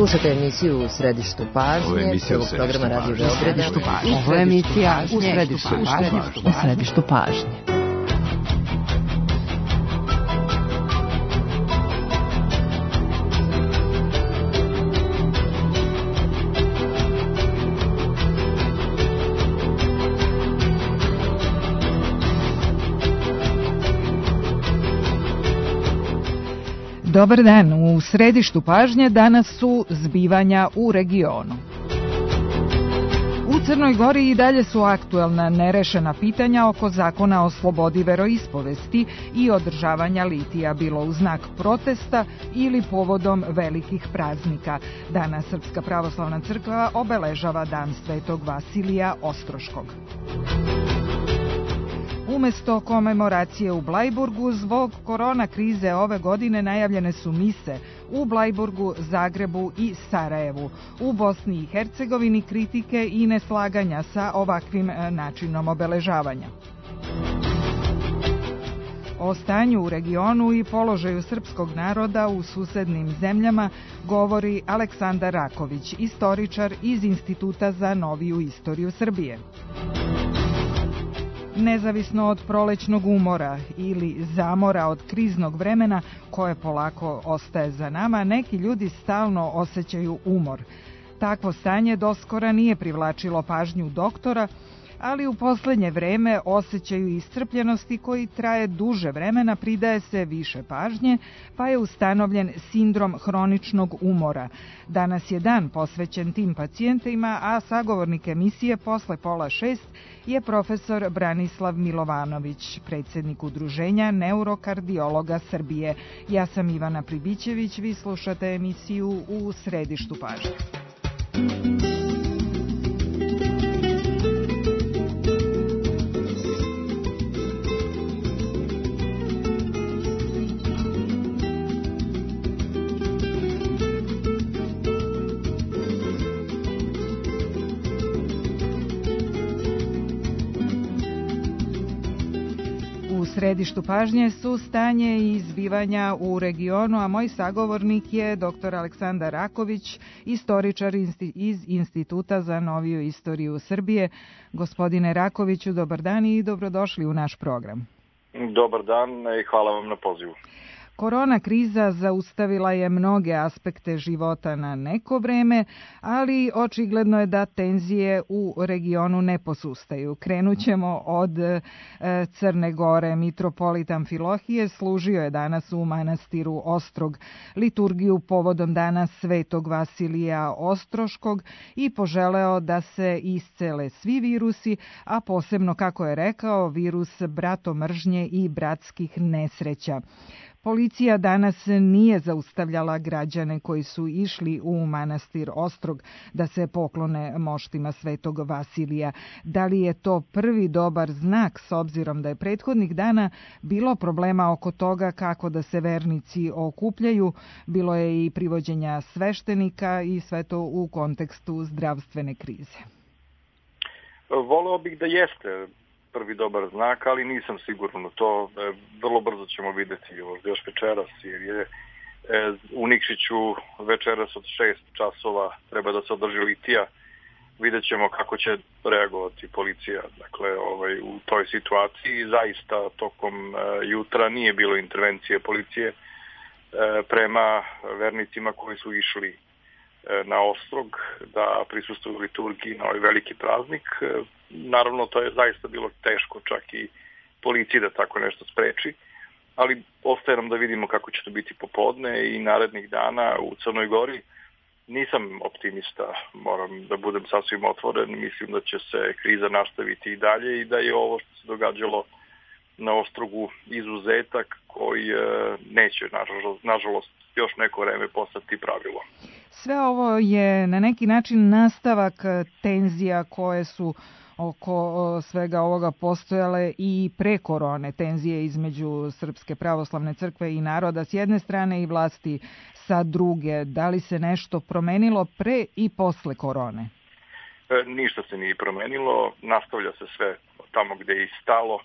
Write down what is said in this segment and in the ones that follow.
Slušajte emisiju U središtu pažnje, prvog programa Radio Beograda. Ovo je emisija U središtu pažnje. Dobar dan, u središtu pažnje danas su zbivanja u regionu. U Crnoj Gori i dalje su aktuelna nerešena pitanja oko zakona o slobodi veroispovesti i održavanja litija, bilo u znak protesta ili povodom velikih praznika. Danas Srpska pravoslavna crkva obeležava Dan Svetog Vasilija Ostroškog. Umesto komemoracije u Blajburgu, zbog korona krize ove godine najavljene su mise u Blajburgu, Zagrebu i Sarajevu. U Bosni i Hercegovini kritike i neslaganja sa ovakvim načinom obeležavanja. O stanju u regionu i položaju srpskog naroda u susednim zemljama govori Aleksandar Raković, istoričar iz Instituta za noviju istoriju Srbije. Nezavisno od prolećnog umora ili zamora od kriznog vremena koje polako ostaje za nama, neki ljudi stalno osjećaju umor. Takvo stanje doskora nije privlačilo pažnju doktora, ali u poslednje vreme osjećaju iscrpljenosti koji traje duže vremena, pridaje se više pažnje, pa je ustanovljen sindrom hroničnog umora. Danas je dan posvećen tim pacijentima, a sagovornik emisije posle 5:30 je profesor Branislav Milovanović, predsjednik Udruženja neurokardiologa Srbije. Ja sam Ivana Pribićević, vi slušate emisiju U središtu pažnje. U središtu pažnje su stanje i zbivanja u regionu, a moj sagovornik je dr. Aleksandar Raković, istoričar iz Instituta za noviju istoriju Srbije. Gospodine Rakoviću, dobar dan i dobrodošli u naš program. Dobar dan i hvala vam na pozivu. Korona kriza zaustavila je mnoge aspekte života na neko vreme, ali očigledno je da tenzije u regionu ne posustaju. Krenut ćemo od Crne Gore. Mitropolit Amfilohije služio je danas u manastiru Ostrog liturgiju povodom Dana Svetog Vasilija Ostroškog i poželeo da se iscele svi virusi, a posebno, kako je rekao, virus bratomržnje i bratskih nesreća. Policija danas nije zaustavljala građane koji su išli u manastir Ostrog da se poklone moštima Svetog Vasilija. Da li je to prvi dobar znak, s obzirom da je prethodnih dana bilo problema oko toga kako da se vernici okupljaju, bilo je i privođenja sveštenika i sve to u kontekstu zdravstvene krize? Voleo bih da jeste prvi dobar znak, ali nisam siguran u to. Vrlo brzo ćemo vidjeti još večeras, jer je u Nikšiću večeras od 6 časova treba da se održi litija. Vidjet ćemo kako će reagovati policija u toj situaciji. Zaista tokom jutra nije bilo intervencije policije prema vernicima koji su išli na Ostrog da prisustvuju liturgiji na ovaj veliki praznik. Naravno, to je zaista bilo teško čak i policiji da tako nešto spreči, ali ostaje nam da vidimo kako će to biti popodne i narednih dana u Crnoj Gori. Nisam optimista, moram da budem sasvim otvoren, mislim da će se kriza nastaviti i dalje i da je ovo što se događalo na Ostrogu izuzetak koji neće, nažalost, još neko vreme postati pravilo. Sve ovo je na neki način nastavak tenzija koje su oko svega ovoga postojale i pre korone, tenzije između Srpske pravoslavne crkve i naroda s jedne strane i vlasti sa druge. Da li se nešto promenilo pre i posle korone? Ništa se nije promenilo, nastavlja se sve tamo gde je i stalo.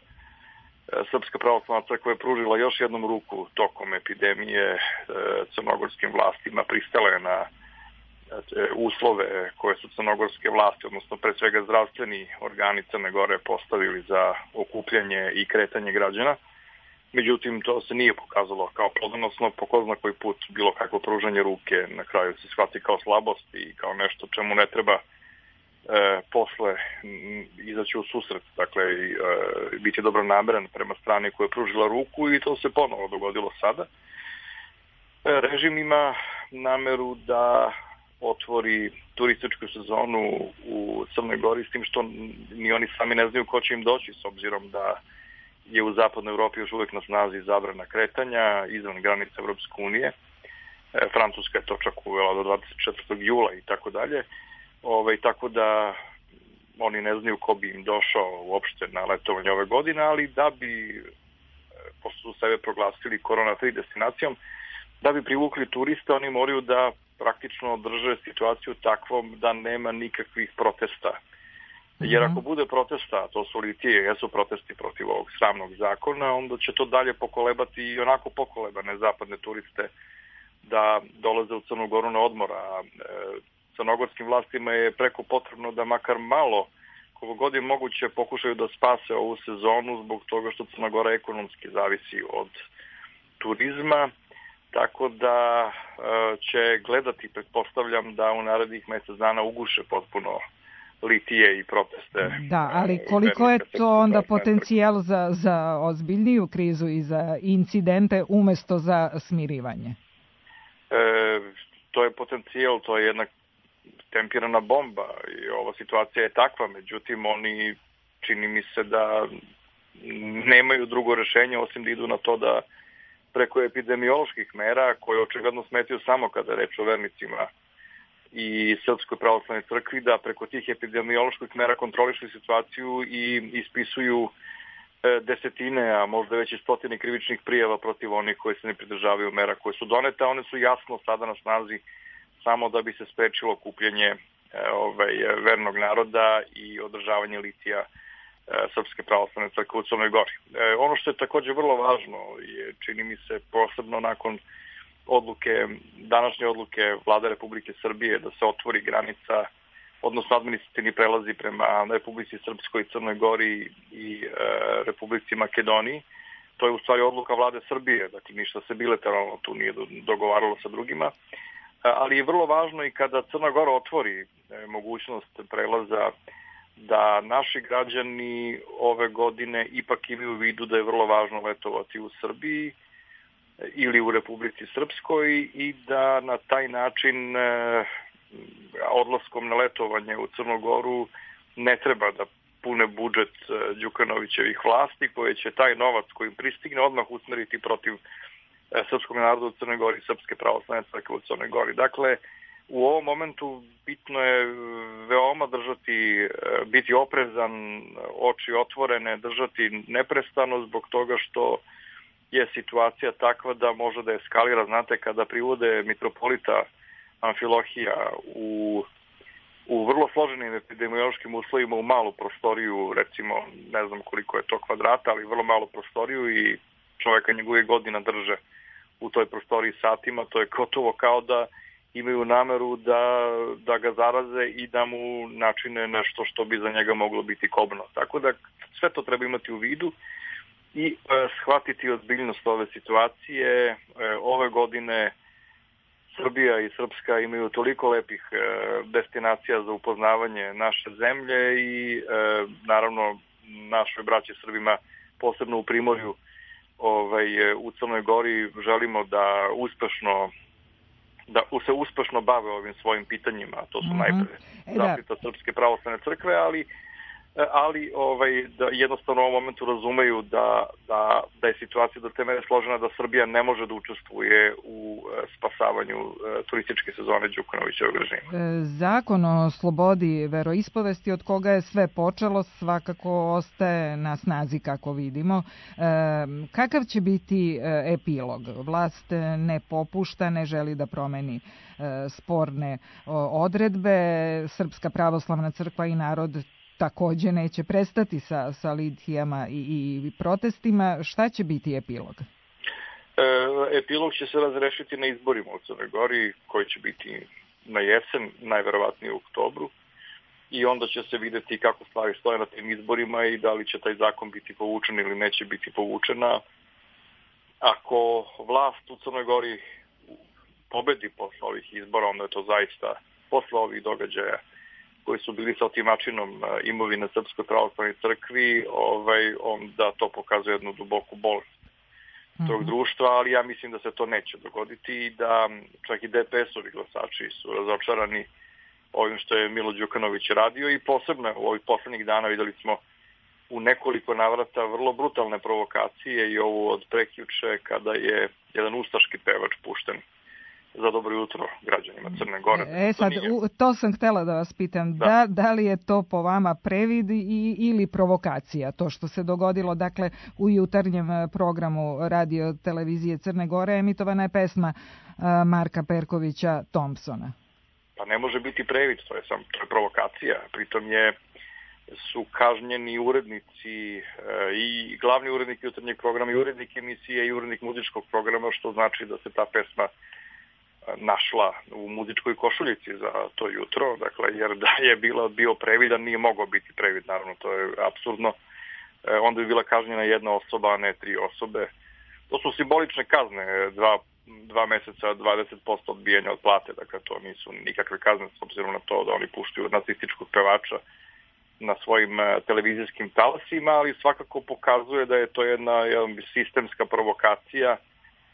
Srpska pravoslavna crkva je pružila još jednom ruku tokom epidemije crnogorskim vlastima, pristala je na uslove koje su crnogorske vlasti, odnosno pre svega zdravstveni organi Crne Gore postavili za okupljanje i kretanje građana. Međutim, to se nije pokazalo kao plodonosno, po ko zna koji put bilo kakvo pružanje ruke na kraju se shvati kao slabost i kao nešto čemu ne treba posle izaći u susret, dakle biti dobronameran prema strani koja je pružila ruku i to se ponovo dogodilo sada. Režim ima nameru da otvori turističku sezonu u Crnoj Gori s tim što ni oni sami ne znaju ko će im doći s obzirom da je u zapadnoj Evropi još uvek na snazi zabrana kretanja izvan granica Evropske unije. Francuska je to čak uvela do 24. jula i tako dalje. Tako da oni ne znaju ko bi im došao uopšte na letovanje ove godine, ali da bi, pošto su sebe proglasili korona-free destinacijom, da bi privukli turiste, oni moraju da praktično drže situaciju takvom da nema nikakvih protesta. Jer ako bude protesta, to su litije, jesu protesti protiv ovog sramnog zakona, onda će to dalje pokolebati i onako pokolebane zapadne turiste da dolaze u Crnu Goru na odmor. A crnogorskim vlastima je preko potrebno da makar malo, koliko god je moguće, pokušaju da spase ovu sezonu zbog toga što Crna Gora ekonomski zavisi od turizma. Tako da će gledati, pretpostavljam, da u narednih mesec dana uguše potpuno litije i proteste. Da, ali koliko je to onda potencijal za ozbiljniju krizu i za incidente umesto za smirivanje? To je potencijal, to je jedna tempirana bomba i ova situacija je takva, međutim oni čini mi se da nemaju drugo rešenje osim da idu na to da preko epidemioloških mera koje očigledno smetaju samo kada je reč o vernicima i Srpskoj pravoslavnoj crkvi, da preko tih epidemioloških mera kontrolišu situaciju i ispisuju desetine, a možda već i stotine krivičnih prijava protiv onih koji se ne pridržavaju mera koje su donete. One su jasno sada na snazi samo da bi se sprečilo okupljanje vernog naroda i održavanje litija Srpske pravoslavne crkve u Crnoj Gori. Ono što je takođe vrlo važno je, čini mi se, posebno nakon današnje odluke Vlade Republike Srbije da se otvori granica, odnosno administrativni prelazi prema Republici Srpskoj, Crnoj Gori i Republici Makedoniji. To je u stvari odluka Vlade Srbije, dakle ništa se bilateralno tu nije dogovaralo sa drugima. Ali je vrlo važno i kada Crna Gora otvori mogućnost prelaza da naši građani ove godine ipak imaju u vidu da je vrlo važno letovati u Srbiji ili u Republici Srpskoj i da na taj način odlaskom na letovanje u Crnu Goru ne treba da pune budžet Đukanovićevih vlasti koje će taj novac koji pristigne odmah usmeriti protiv srpskog naroda u Crnoj Gori, Srpske pravoslavne crkve u Crnoj Gori. Dakle, u ovom momentu bitno je veoma biti oprezan, oči otvorene, držati neprestano zbog toga što je situacija takva da može da eskalira. Znate, kada privode mitropolita Amfilohija u vrlo složenim epidemiološkim uslovima u malu prostoriju, recimo ne znam koliko je to kvadrata, ali vrlo malu prostoriju i čoveka njegove godina drže u toj prostoriji satima, to je gotovo kao da imaju nameru da ga zaraze i da mu načine nešto što bi za njega moglo biti kobno. Tako da sve to treba imati u vidu i shvatiti ozbiljnost ove situacije. Ove godine Srbija i Srpska imaju toliko lepih destinacija za upoznavanje naše zemlje i naravno našoj braći Srbima, posebno u Primorju, u Crnoj Gori želimo da se uspešno bave ovim svojim pitanjima. To su najpre zaštita Srpske pravoslavne crkve, ali da jednostavno u ovom momentu razumeju da je situacija do te mere složena da Srbija ne može da učestvuje u spasavanju turističke sezone Đukanovićevog režima. Zakon o slobodi veroispovesti od koga je sve počelo svakako ostaje na snazi kako vidimo. Kakav će biti epilog? Vlast ne popušta, ne želi da promeni sporne odredbe. Srpska pravoslavna crkva i narod takođe neće prestati sa litijama i protestima. Šta će biti epilog? Epilog će se razrešiti na izborima u Crnoj Gori, koji će biti na jesen, najverovatnije u oktobru, i onda će se videti kako stvari stoje na tim izborima i da li će taj zakon biti povučen ili neće biti povučena. Ako vlast u Crnoj Gori pobedi posle ovih izbora, onda je to zaista posle ovih događaja koji su bili sa otimačinom imovine Srpskoj pravoslavnoj crkvi, onda to pokazuje jednu duboku bolest tog društva, ali ja mislim da se to neće dogoditi i da čak i DPS-ovi glasači su razočarani ovim što je Milo Đukanović radio i posebno u ovih poslednjih dana videli smo u nekoliko navrata vrlo brutalne provokacije i ovu od prekjuče kada je jedan ustaški pevač pušten za dobro jutro građanima Crne Gore. Sad, to sam htela da vas pitam, da li je to po vama previd ili provokacija, to što se dogodilo, dakle, u jutarnjem programu radio televizije Crne Gore emitovana je pesma Marka Perkovića Thompsona. Pa ne može biti previd, to je provokacija, pritom su kažnjeni urednici i glavni urednik jutarnjeg programa i urednik emisije i urednik muzičkog programa, što znači da se ta pesma našla u muzičkoj košuljici za to jutro, dakle, jer da je bio previdan, nije mogao biti previd, naravno, to je apsurdno. Onda bi bila kažnjena jedna osoba, a ne 3 osobe. To su simbolične kazne, 2 meseca, 20% odbijanja od plate, dakle, to nisu nikakve kazne, s obzirom na to da oni puštaju nacističkog pevača na svojim televizijskim talasima, ali svakako pokazuje da je to jedna sistemska provokacija.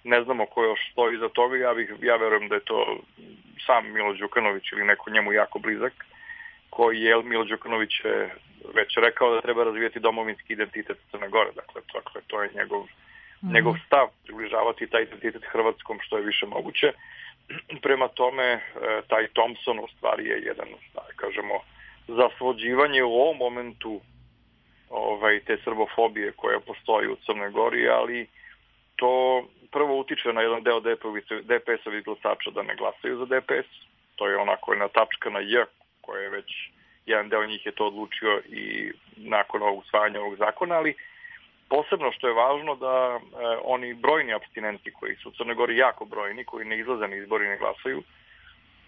Ne znamo ko još stoji iza toga, ja verujem da je to sam Milo Đukanović ili neko njemu jako blizak, koji je Milo Đukanović već rekao da treba razvijeti domovinski identitet Crne Gore, dakle to je njegov stav, približavati taj identitet hrvatskom što je više moguće. Prema tome, taj Thompson u stvari je jedan, kažemo, zasvođivanje u ovom momentu te srbofobije koja postoji u Crnoj Gori, ali to prvo utiče na jedan deo DPS-ovih glasača da ne glasaju za DPS. To je onako jedna tačka na J, koja je već, jedan deo njih je to odlučio i nakon ovog usvajanja ovog zakona, ali posebno što je važno da oni brojni apstinenti koji su u Crnoj Gori jako brojni, koji ne izlaze na izbori i ne glasaju,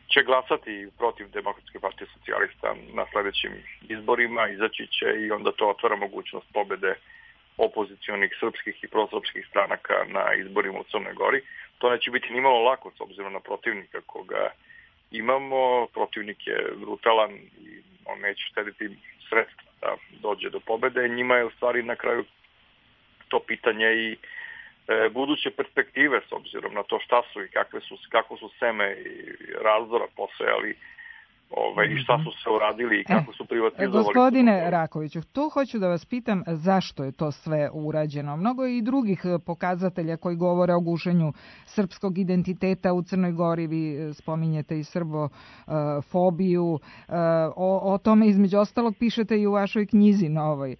će glasati protiv Demokratske partije socijalista na sledećim izborima, izaći će i onda to otvara mogućnost pobede opozicionih srpskih i prosrpskih stranaka na izborima u Crnoj Gori. To neće biti nimalo lako s obzirom na protivnika koga imamo. Protivnik je brutalan i on neće štediti sredstva da dođe do pobede. Njima je u stvari na kraju to pitanje i buduće perspektive s obzirom na to šta su i kako su seme i razdora posejali i šta su se uradili i kako su privatizovali. Gospodine Rakoviću, tu hoću da vas pitam zašto je to sve urađeno. Mnogo je i drugih pokazatelja koji govore o gušenju srpskog identiteta u Crnoj Gori. Vi spominjete i srbofobiju. O tome između ostalog pišete i u vašoj knjizi novoj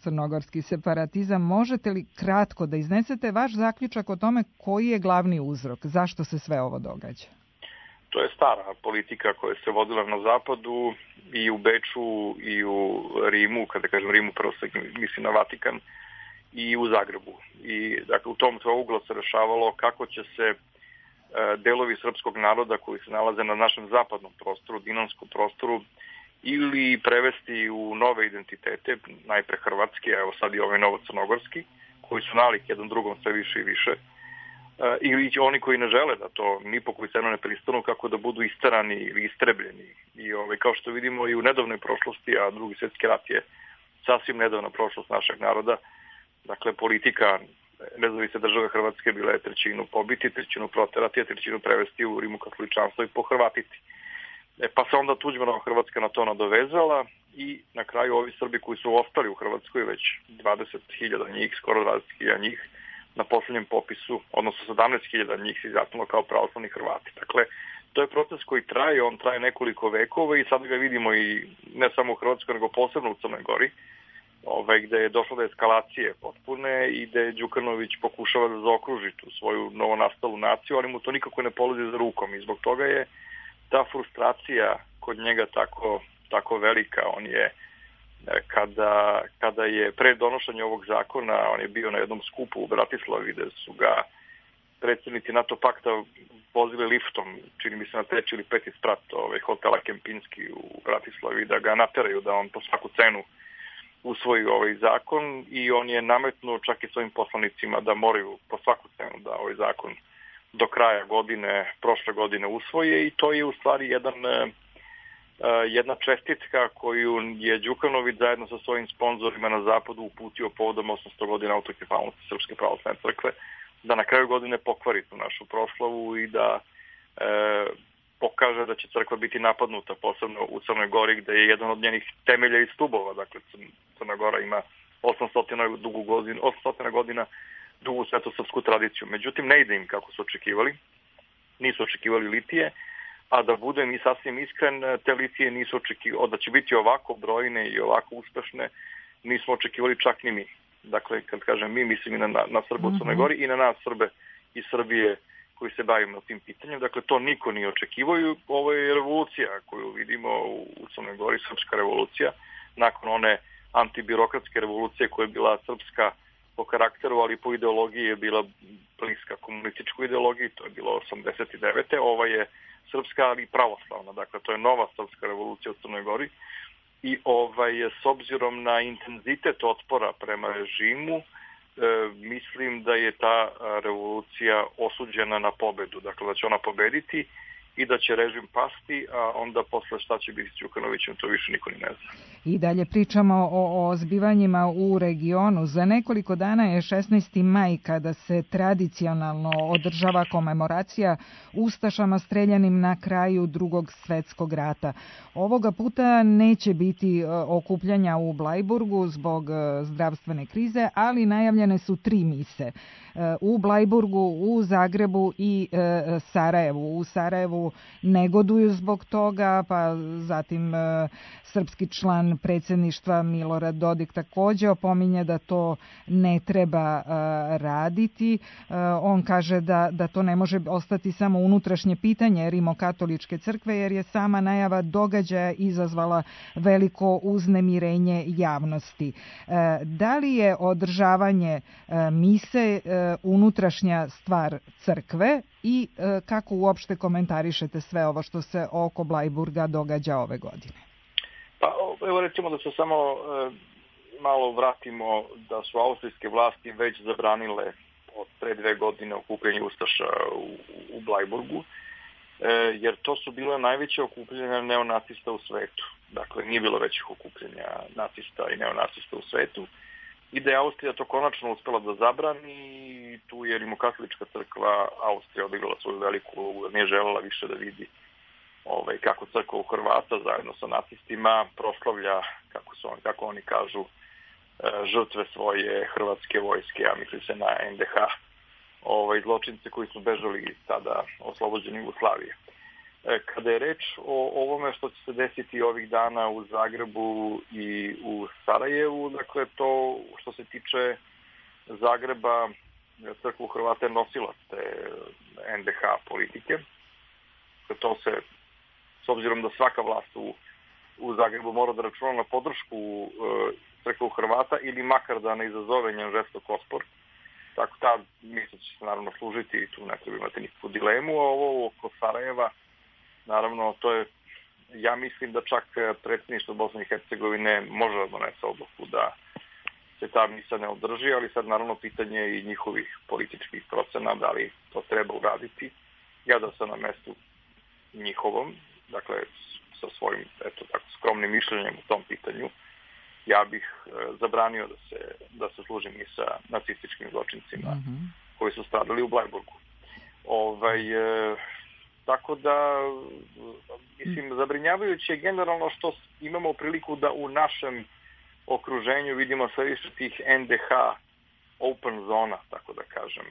Crnogorski separatizam. Možete li kratko da iznesete vaš zaključak o tome koji je glavni uzrok? Zašto se sve ovo događa? To je stara politika koja se vodila na zapadu i u Beču i u Rimu, kada kažem Rimu prvo se misli na Vatikan, i u Zagrebu. I dakle u tom trouglu se rešavalo kako će se delovi srpskog naroda koji se nalaze na našem zapadnom prostoru, dinanskom prostoru, ili prevesti u nove identitete, najpre hrvatski, a evo sad i ovaj novo-crnogorski, koji su nalik jedan drugom sve više i više, ili oni koji ne žele da to ni po koju cenu ne pristanu, kako da budu isterani ili istrebljeni. I kao što vidimo i u nedavnoj prošlosti, a Drugi svjetski rat je sasvim nedavna prošlost našeg naroda, dakle politika nezavisne države Hrvatske bila je 1/3 pobiti, 1/3 proterati, a 1/3 prevesti u rimokatoličanstvo i pohrvatiti. Pa se onda Tuđmanova Hrvatska na to nadovezala i na kraju ovi Srbi koji su ostali u Hrvatskoj, već 20.000 njih, skoro 20.000 njih, na posljednjem popisu, odnosno 17.000 njih se izjasnilo kao pravoslavni Hrvati. Dakle, to je proces koji traje, on traje nekoliko vekova i sad ga vidimo i ne samo u Hrvatskoj, nego posebno u Crnoj Gori, gde je došlo do eskalacije potpune i gde Đukanović pokušava da zaokruži tu svoju novonastalu naciju, ali mu to nikako ne polazi za rukom i zbog toga je ta frustracija kod njega tako velika. On je kada je pre donošenja ovog zakona, on je bio na jednom skupu u Bratislavi gde su ga predsjednici NATO pakta vozili liftom, čini mi se na 3. ili 5. sprat hotela Kempinski u Bratislavi, da ga nateraju da on po svaku cenu usvoji ovaj zakon, i on je nametnuo čak i svojim poslanicima da moraju po svaku cenu da ovaj zakon do kraja godine, prošle godine usvoje, i to je u stvari jedna čestitka koju je Đukanović zajedno sa svojim sponzorima na zapadu uputio povodom 800 godina autokefalnosti Srpske pravoslavne crkve, da na kraju godine pokvari tu našu proslavu i da pokaže da će crkva biti napadnuta, posebno u Crnoj Gori, gde je jedan od njenih temelja i stubova. Dakle, Crna Gora ima 800 godina dugu svetosrpsku tradiciju. Međutim, ne ide im kako su očekivali. Nisu očekivali litije, a da budem i sasvim iskren, te litije nisu očekivali, da će biti ovako brojne i ovako uspešne, nismo očekivali čak ni mi. Dakle, kad kažem mi, mislim i na Srbe u Crnoj Gori i na nas Srbe iz Srbije koji se bavimo tim pitanjem. Dakle, to niko nije očekivao. Ovo je revolucija koju vidimo u Crnoj Gori, srpska revolucija, nakon one antibirokratske revolucije koja je bila srpska po karakteru, ali po ideologiji je bila bliska komunističkoj ideologiji, to je bilo 89. Ova je srpska, ali pravoslavna. Dakle, to je nova srpska revolucija u Crnoj Gori. I s obzirom na intenzitet otpora prema režimu, mislim da je ta revolucija osuđena na pobedu. Dakle, da će ona pobediti i da će režim pasti, a onda posle šta će biti s Đukanovićem, to više niko ni ne zna. I dalje pričamo o zbivanjima u regionu. Za nekoliko dana je 16. maj, kada se tradicionalno održava komemoracija ustašama streljanim na kraju Drugog svetskog rata. Ovoga puta neće biti okupljanja u Blajburgu zbog zdravstvene krize, ali najavljene su 3 mise. U Blajburgu, u Zagrebu i Sarajevu. U Sarajevu negoduju zbog toga, pa zatim srpski član predsjedništva Milorad Dodik također opominje da to ne treba raditi. On kaže da to ne može ostati samo unutrašnje pitanje Rimokatoličke crkve, jer je sama najava događaja izazvala veliko uznemirenje javnosti. Da li je održavanje mise unutrašnja stvar crkve i kako uopšte komentarišete sve ovo što se oko Blajburga događa ove godine? Pa evo recimo da se samo malo vratimo da su austrijske vlasti već zabranile od pre 2 godine okupljanje ustaša u Blajburgu, jer to su bile najveće okupljanja neonacista u svetu. Dakle, nije bilo većih okupljanja nacista i neonacista u svetu. I da je Austrija to konačno uspela da zabrani, tu je Rimokatolička crkva Austrija odigrala svoju veliku ulogu, nije želela više da vidi kako crkva u Hrvata zajedno sa nacistima proslavlja, kako oni kažu, žrtve svoje hrvatske vojske, a misli se na NDH, zločince koji su bežali iz tada oslobođene Jugoslavije. Kada je reč o ovome što će se desiti ovih dana u Zagrebu i u Sarajevu, dakle to što se tiče Zagreba, crkva Hrvata je nosilac te NDH politike. To se, s obzirom da svaka vlast u Zagrebu mora da računa na podršku crkva Hrvata ili makar da ne izazove njen žestok otpor, tako ta misla će se naravno služiti i tu ne treba imati nikakvu dilemu. A ovo oko Sarajeva, naravno, to je, ja mislim da čak predsjedništvo Bosne i Hercegovine može da donese odluku da se ta misa ne održi, ali sad naravno pitanje i njihovih političkih procena, da li to treba uraditi. Ja da sam na mestu njihovom, dakle sa svojim skromnim mišljenjem u tom pitanju, ja bih zabranio da se služi misa nacističkim zločincima koji su stradali u Blajburgu. Tako da, mislim, zabrinjavajuće je generalno što imamo priliku da u našem okruženju vidimo sve više tih NDH open zona, tako da kažem.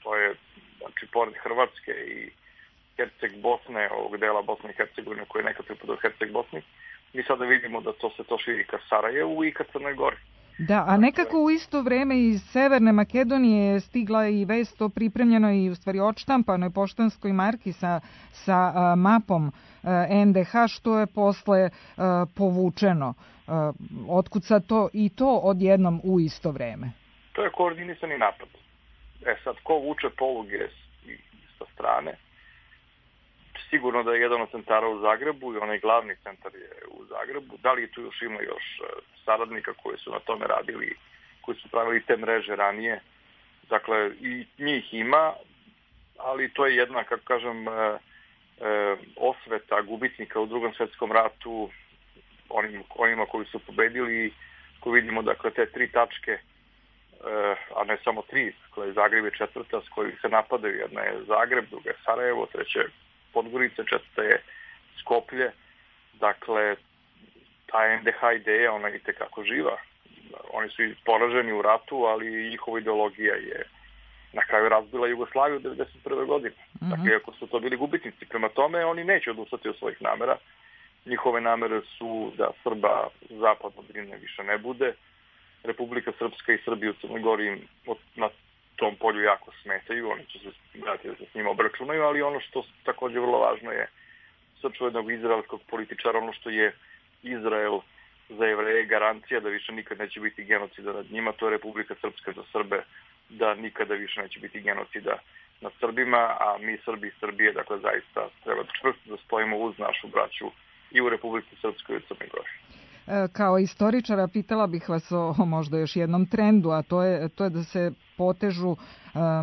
To je, znači, pored Hrvatske i Herceg Bosne, ovog dela Bosne i Hercegovine koji je nekad pripadao Herceg Bosni, mi sada vidimo da se to širi ka Sarajevu i ka Crnoj Gori. Da, a nekako u isto vreme iz Severne Makedonije je stigla i vest o pripremljenoj i u stvari odštampanoj poštanskoj marki sa mapom NDH, što je posle povučeno. Otkud sad to odjednom u isto vreme? To je koordinisani napad. Sad, ko vuče poluge sa strane, sigurno da je jedan od centara u Zagrebu i onaj glavni centar je u Zagrebu. Da li tu još ima još saradnika koji su na tome radili, koji su pravili te mreže ranije. Dakle, i njih ima, ali to je jedna, kako kažem, osveta gubitnika u Drugom svjetskom ratu, onima koji su pobedili, koji vidimo, dakle, te 3 tačke, a ne samo 3, koja je Zagreb je 4. s kojih se napadaju. Jedna je Zagreb, druga je Sarajevo, 3. je Podgorica, 4. je Skoplje. Dakle, ta NDH ideja, ona je itekako živa. Oni su i poraženi u ratu, ali njihova ideologija je na kraju razbila Jugoslaviju 1991. godine. Dakle, ako su to bili gubitnici, prema tome, oni neće odustati od svojih namera. Njihove namere su da Srba zapadno Drine više ne bude. Republika Srpska i Srbija u Crnoj Gori im na tom polju jako smetaju. Oni će se gledati da se s njima obračunaju, ali ono što također vrlo važno je srču jednog izraelskog političara, ono što je Izrael za Jevreje garancija da više nikad neće biti genocida nad njima, to je Republika Srpska za Srbe, da nikada više neće biti genocida nad Srbima, a mi Srbi i Srbije, dakle, zaista treba čvrsto da stojimo uz našu braću i u Republici Srpskoj i u Crnoj Gori. Kao istoričara pitala bih vas o možda još jednom trendu, a to je da se potežu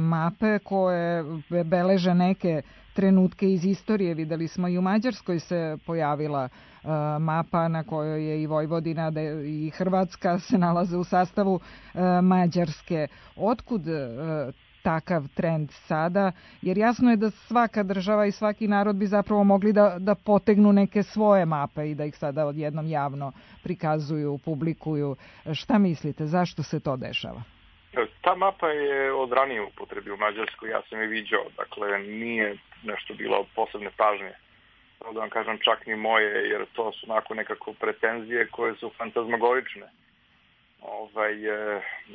mape koje beleže neke trenutke iz istorije. Videli smo i u Mađarskoj se pojavila mapa na kojoj je i Vojvodina i Hrvatska se nalaze u sastavu Mađarske. Otkud takav trend sada? Jer jasno je da svaka država i svaki narod bi zapravo mogli da potegnu neke svoje mape i da ih sada odjednom javno prikazuju, publikuju. Šta mislite, zašto se to dešava? Ta mapa je od ranije upotrebi u Mađarskoj, ja sam je viđao, dakle nije nešto bilo od posebne pažnje. Da vam kažem, čak ni moje, jer to su onako nekako pretenzije koje su fantazmagorične.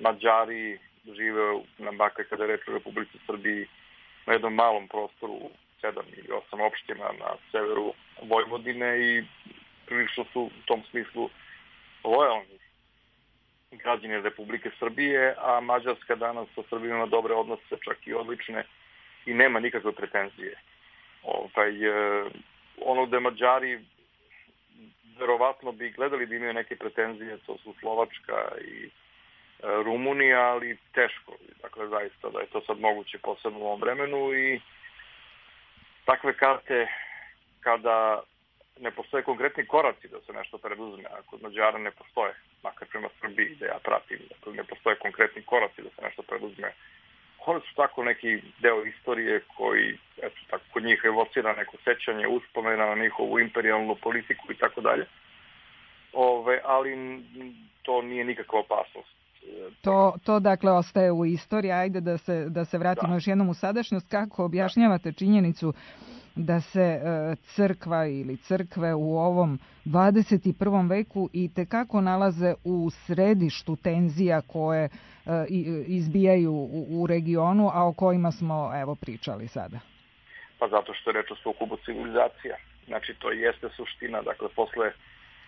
Mađari žive na bakle kada je reč o Republici Srbiji na jednom malom prostoru, 7 ili 8 opština na severu Vojvodine i prilično su u tom smislu lojalni građani Republike Srbije, a Mađarska danas sa Srbijom ima dobre odnose, čak i odlične, i nema nikakve pretenzije. Ono gde Mađari verovatno bi gledali da imaju neke pretenzije, to su Slovačka i Rumunija, ali teško. Dakle, zaista da je to sad moguće posebno u ovom vremenu i takve karte kada ne postoje konkretni koraci da se nešto preduzme, a kod Mađara ne postoje, makar prema Srbiji da ja pratim, dakle ne postoje konkretni koraci da se nešto preduzme. Oni su tako neki deo istorije koji, eto, tako kod njih evocira neko sećanje, uspomena na njihovu imperijalnu politiku i tako dalje. Ali to nije nikakva opasnost. To dakle ostaje u istoriji. Ajde da se vratimo još jednom u sadašnjost. Kako objašnjavate činjenicu da se crkva ili crkve u ovom 21. veku i tekako nalaze u središtu tenzija koje izbijaju u regionu, a o kojima smo pričali sada? Pa zato što je reč o sukobu civilizacija. Znači to jeste suština. Dakle, posle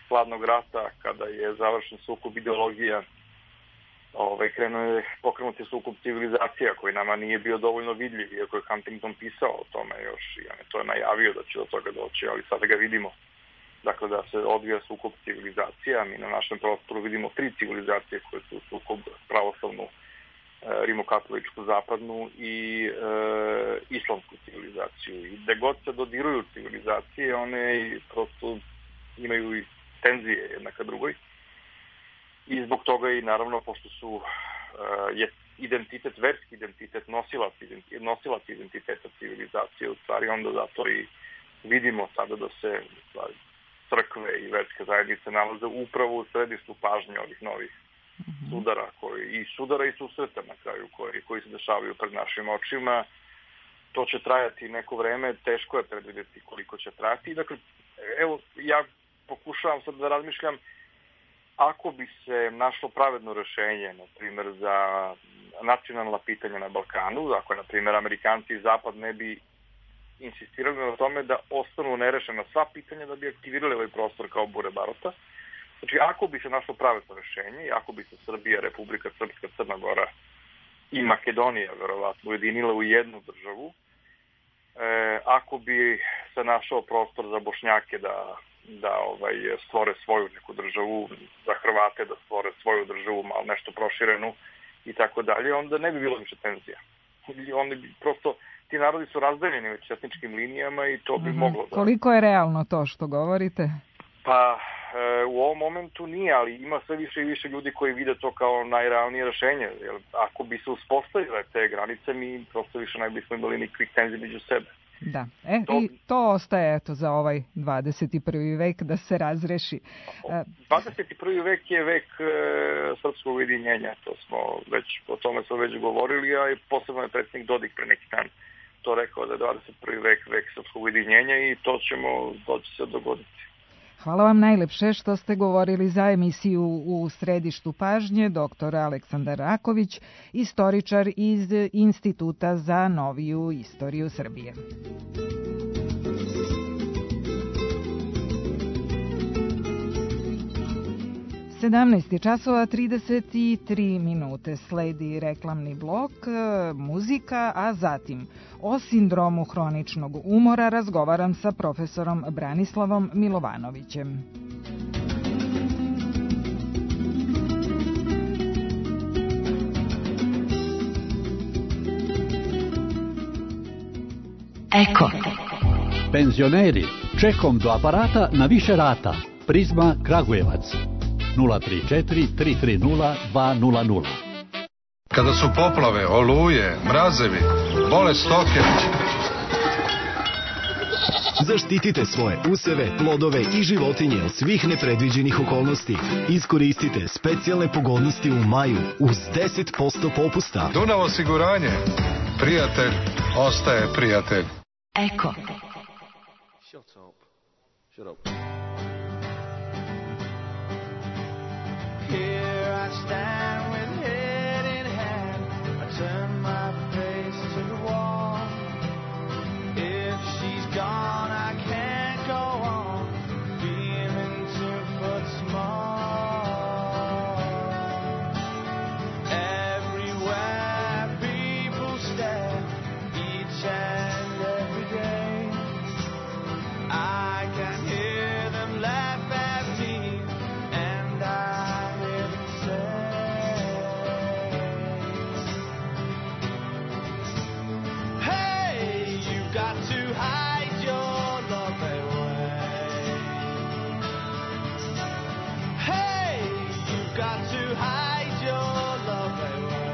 hladnog rata, kada je završen sukob ideologija, pokrenut je sukob civilizacija koji nama nije bio dovoljno vidljiv, iako je Huntington pisao o tome još i on je to najavio da će do toga doći, ali sada ga vidimo. Dakle, da se odvija sukob civilizacija. Mi na našem prostoru vidimo 3 civilizacije koje su sukob pravoslavnu, rimokatoličku zapadnu i islamsku civilizaciju. I gde god se dodiruju civilizacije, one prosto imaju i tenzije jedna ka drugoj. I zbog toga i naravno, pošto je identitet, verski identitet, nosilac identiteta civilizacije, u stvari onda zato i vidimo sada da se crkve i verske zajednice nalaze upravo u središtu pažnje ovih novih sudara i susreta na kraju koji se dešavaju pred našim očima. To će trajati neko vreme, teško je predvidjeti koliko će trajati. Dakle, evo, ja pokušavam sad da razmišljam ako bi se našlo pravedno rešenje, na primjer, za nacionalna pitanja na Balkanu, ako je, na primjer, Amerikanci i Zapad ne bi insistirali na tome da ostanu nerešena sva pitanja da bi aktivirali ovaj prostor kao bure barota. Znači, ako bi se našlo pravedno rešenje i ako bi se Srbija, Republika Srpska, Crna Gora i Makedonija verovatno ujedinila u jednu državu, ako bi se našao prostor za Bošnjake da stvore svoju neku državu, za Hrvate da stvore svoju državu, malo nešto proširenu i tako dalje, onda ne bi bilo više tenzija. Oni bi prosto, ti narodi su razdeljeni već etničkim linijama i to bi moglo da... Koliko je realno to što govorite? Pa u ovom momentu nije, ali ima sve više i više ljudi koji vide to kao najrealnije rešenje. Jer ako bi se uspostavile te granice, mi prosto više ne bismo imali nikakvih tenzija među sebe. Da, i to ostaje za ovaj 21. vek da se razreši. 21. vek je vek srpskog ujedinjenja, o tome smo već govorili, a i posebno je predsjednik Dodik pre neki dan to rekao da je 21. vek srpskog ujedinjenja i to će se dogoditi. Hvala vam najlepše što ste govorili za emisiju U središtu pažnje, dr. Aleksandar Raković, istoričar iz Instituta za noviju istoriju Srbije. 17:33 sledi reklamni blok, muzika, a zatim o sindromu hroničnog umora razgovaram sa profesorom Branislavom Milovanovićem. Eko. Penzioneri, čekom do aparata na više rata. Prizma Kragujevac. 034 330 200. Kada su poplave, oluje, mrazevi, bole stoke. Zaštitite svoje useve, plodove i životinje od svih nepredviđenih okolnosti. Iskoristite specijalne pogodnosti u maju uz 10% popusta. Dunav osiguranje. Prijatelj ostaje prijatelj. Eko. Shut up. Here I stand with head in hand. I turn my face to the wall. If she's gone, I can't go on feeling 2 foot small. Everywhere people stare, each and every day. I can hear them laugh at me, and I got to hide your love away. Hey, you've got to hide your love away.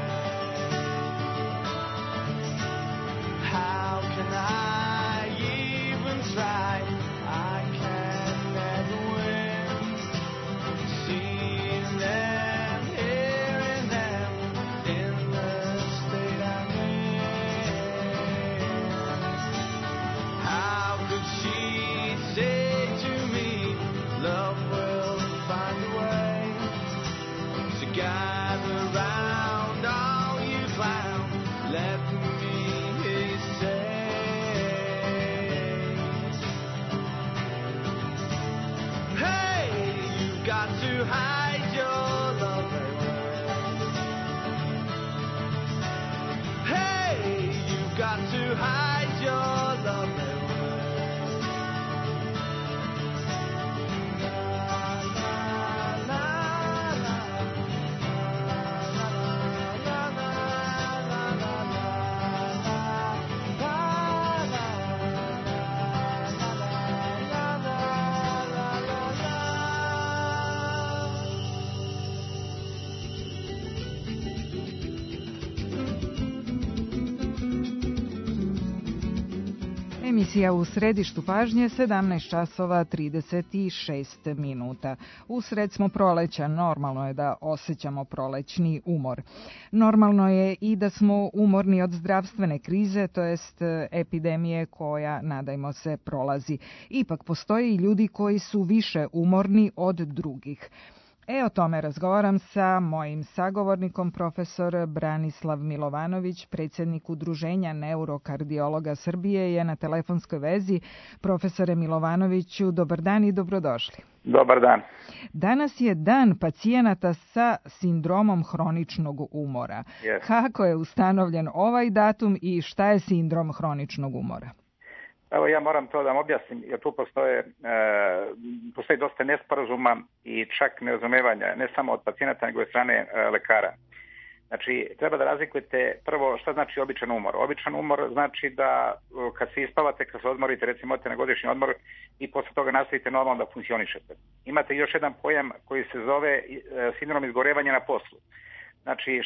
How can I even try? I can never win. Seeing them, hearing them in the state I'm in. How could she say to me, love will find a way to gather round all you clown, let me say. Hey, you've got to hide your love away. Hey, you've got to hide your love away. Emisija U središtu pažnje, 17:36. Usred smo proleća, normalno je da osjećamo prolećni umor. Normalno je i da smo umorni od zdravstvene krize, to jest epidemije koja, nadajmo se, prolazi. Ipak postoje i ljudi koji su više umorni od drugih. O tome razgovaram sa mojim sagovornikom, profesor Branislav Milovanović, predsjednik Udruženja neurokardiologa Srbije, je na telefonskoj vezi. Profesore Milovanoviću, dobar dan i dobrodošli. Dobar dan. Danas je dan pacijenata sa sindromom hroničnog umora. Yes. Kako je ustanovljen ovaj datum i šta je sindrom hroničnog umora? Evo ja moram to da vam objasnim, jer tu postoji dosta nesporazuma i čak nerazumevanja, ne samo od pacijenata, nego od strane lekara. Znači, treba da razlikujete prvo šta znači običan umor. Običan umor znači da kad se ispavate, kad se odmorite, recimo odete na godišnji odmor i posle toga nastavite normalno da funkcionišete. Imate još jedan pojam koji se zove sindrom izgorevanja na poslu. Znači,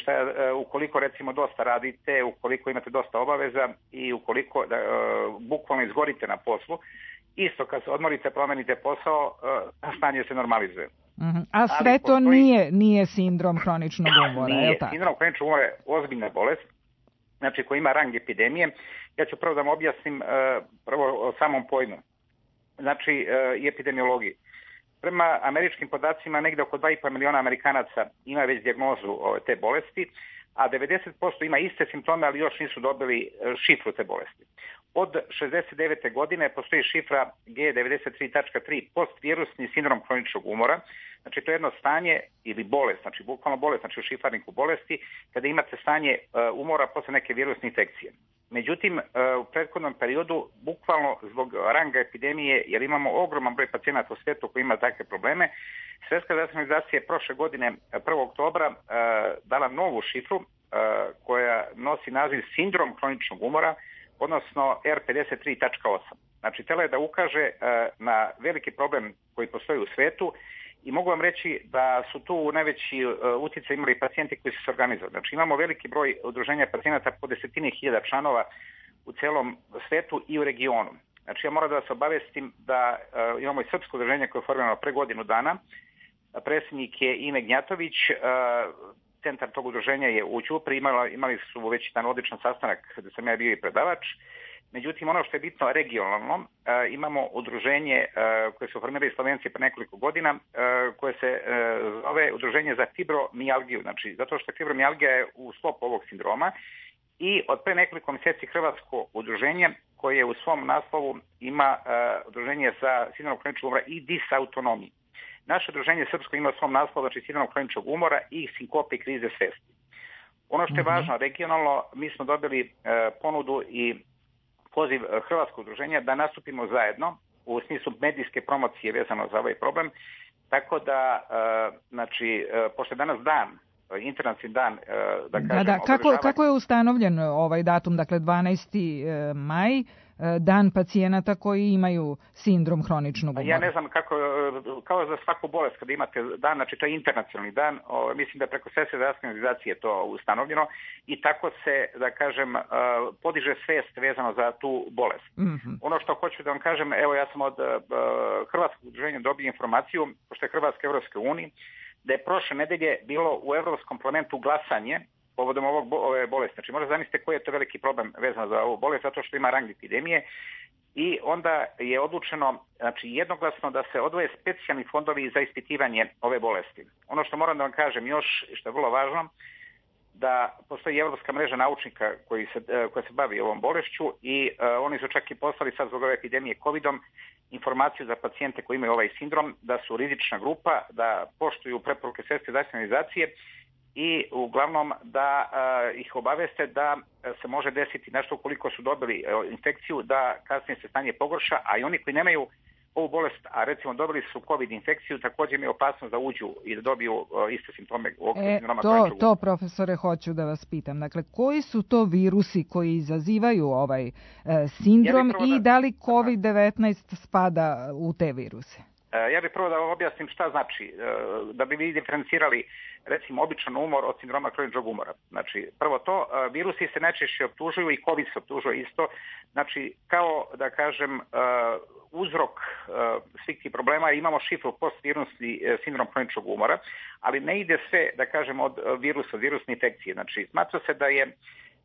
ukoliko recimo dosta radite, ukoliko imate dosta obaveza i ukoliko bukvalno izgorite na poslu, isto kad se odmorite, promenite posao, stanje se normalizuje. A sve to nije sindrom hroničnog umora, je li tako? Sindrom hroničnog umora je ozbiljna bolest, znači koji ima rang epidemije. Ja ću prvo da vam objasnim prvo o samom pojmu, znači i epidemiologiji. Prema američkim podacima negde oko 2,5 miliona Amerikanaca ima već dijagnozu te bolesti, a 90% ima iste simptome, ali još nisu dobili šifru te bolesti. Od 69. godine postoji šifra G93.3 postvirusni sindrom hroničnog umora. Znači to je jedno stanje ili bolest, znači bukvalno bolest, znači u šifarniku bolesti, kada imate stanje umora posle neke virusne infekcije. Međutim, u prethodnom periodu, bukvalno zbog ranga epidemije, jer imamo ogroman broj pacijenata u svijetu koji ima takve probleme, Svjetska zdravstvena organizacija je prošle godine, 1. oktobra, dala novu šifru koja nosi naziv sindrom hroničnog umora, odnosno R53.8. Znači, htjela je da ukaže na veliki problem koji postoji u svetu i mogu vam reći da su tu najveći utjecaj imali pacijenti koji su se organizovali. Znači, imamo veliki broj udruženja pacijenata po desetine hiljada članova u celom svetu i u regionu. Znači, ja moram da vas obavestim da imamo i srpsko udruženje koje je formirano pre godinu dana. Predsjednik je Ime Gnjatović, centar tog udruženja je u Ćupri, imali su već jedan odličan sastanak gde sam ja bio i predavač. Međutim, ono što je bitno regionalno, imamo udruženje koje su formirali Slovenci pre nekoliko godina, koje se zove Udruženje za fibromijalgiju, znači zato što fibromijalgija je u sklopu ovog sindroma, i od pre nekoliko mjeseci Hrvatsko udruženje koje u svom naslovu ima udruženje za sindrom hroničnog umora i disautonomiju. Naše udruženje srpsko ima u svom naslovu, znači sindrom hroničnog umora i sinkope i krize svesti. Ono što je važno regionalno, mi smo dobili ponudu i poziv Hrvatskog udruženja da nastupimo zajedno u smislu medijske promocije vezano za ovaj problem. Tako da, znači, pošto je danas dan, internacionalni dan, da kažem... Kako je ustanovljen ovaj datum, dakle 12. maj, dan pacijenata koji imaju sindrom hroničnog umora? Ja ne znam kako, kao za svaku bolest kada imate dan, znači to je internacionalni dan, mislim da preko Svjetske zdravstvene organizacije je to ustanovljeno i tako se, da kažem, podiže svest vezano za tu bolest. Ono što hoću da vam kažem, evo ja sam od Hrvatskog udruženja dobio informaciju, pošto je Hrvatska Evropske unije, da je prošle nedelje bilo u Evropskom parlamentu glasanje povodom ove bolesti. Znači, možda zamislite koji je to veliki problem vezan za ovu bolest, zato što ima rang epidemije. I onda je odlučeno, znači jednoglasno, da se odvoje specijalni fondovi za ispitivanje ove bolesti. Ono što moram da vam kažem još, što je vrlo važno, da postoji Evropska mreža naučnika koja se bavi ovom bolešću i oni su čak i poslali sad zbog ove epidemije COVID-om informaciju za pacijente koji imaju ovaj sindrom, da su rizična grupa, da poštuju preporuke Svjetske zdravstvene organizacije i uglavnom da ih obaveste da se može desiti nešto ukoliko su dobili infekciju, da kasnije se stanje pogorša, a i oni koji nemaju ovu bolest, a recimo dobili su COVID infekciju, također imaju opasnost da uđu i da dobiju iste simptome u okviru sindroma hroničnog umora. To, profesore, hoću da vas pitam. Dakle, koji su to virusi koji izazivaju ovaj sindrom i da li COVID-19 spada u te viruse? Ja bih prvo da vam objasnim šta znači, da bi vi diferencirali recimo običan umor od sindroma hroničnog umora. Znači, prvo to, virusi se najčešće optužuju i COVID se optužuje isto. Znači, kao da kažem, uzrok svih tih problema, imamo šifru postvirusni sindrom hroničnog umora, ali ne ide sve, da kažem, od virusa, virusne infekcije. Znači, smatra se da je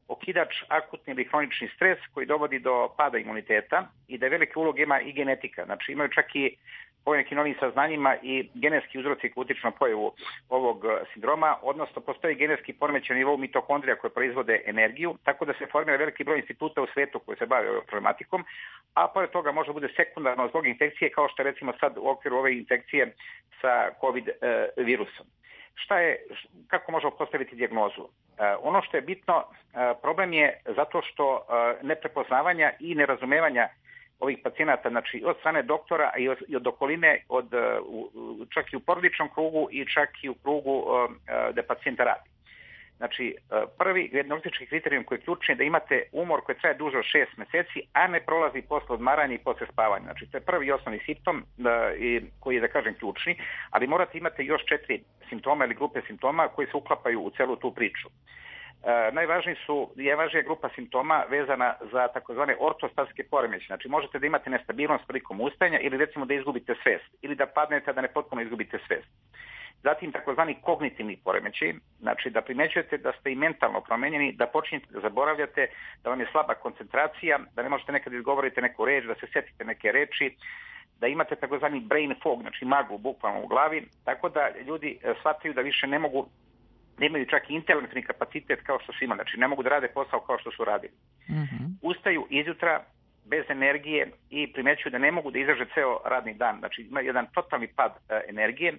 okidač akutni ili hronični stres koji dovodi do pada imuniteta i da je velike uloge ima i genetika. Znači, imaju čak i po nekim novim saznanjima i genetski uzroci koji utiču na pojavu ovog sindroma, odnosno postoji genetski poremećaj na nivou mitohondrija koje proizvode energiju, tako da se formira veliki broj instituta u svetu koji se bave ovom problematikom, a pored toga može bude sekundarno zbog infekcije, kao što je recimo sad u okviru ove infekcije sa COVID virusom. Kako možemo postaviti dijagnozu? Ono što je bitno, problem je zato što neprepoznavanja i nerazumevanja ovih pacijenata, znači od strane doktora i od okoline, čak i u porodičnom krugu i čak i u krugu da pacijenta radi. Znači, prvi dijagnostički kriterijum koji je ključni je da imate umor koji traje duže od 6 meseci, a ne prolazi posle odmaranja i posle spavanja. Znači, to je prvi i osnovni simptom koji je, da kažem, ključni, ali morate imati još 4 simptoma ili grupe simptoma koji se uklapaju u celu tu priču. Najvažnija grupa simptoma vezana za takozvane ortostatske poremećaje. Znači, možete da imate nestabilnost prilikom ustajanja ili recimo da izgubite svest ili da padnete da ne potpuno izgubite svest. Zatim takozvani kognitivni poremećaj, znači da primećujete da ste i mentalno promenjeni, da počinjete da zaboravljate, da vam je slaba koncentracija, da ne možete nekad izgovoriti neku reč, da se setite neke reči, da imate takozvani brain fog, znači maglu bukvalno u glavi, tako da ljudi shvataju da više ne mogu, da imaju čak i intelektualni kapacitet kao što su imali, znači ne mogu da rade posao kao što su radili. Ustaju izjutra bez energije i primećuju da ne mogu da izdrže ceo radni dan, znači ima jedan totalni pad energije.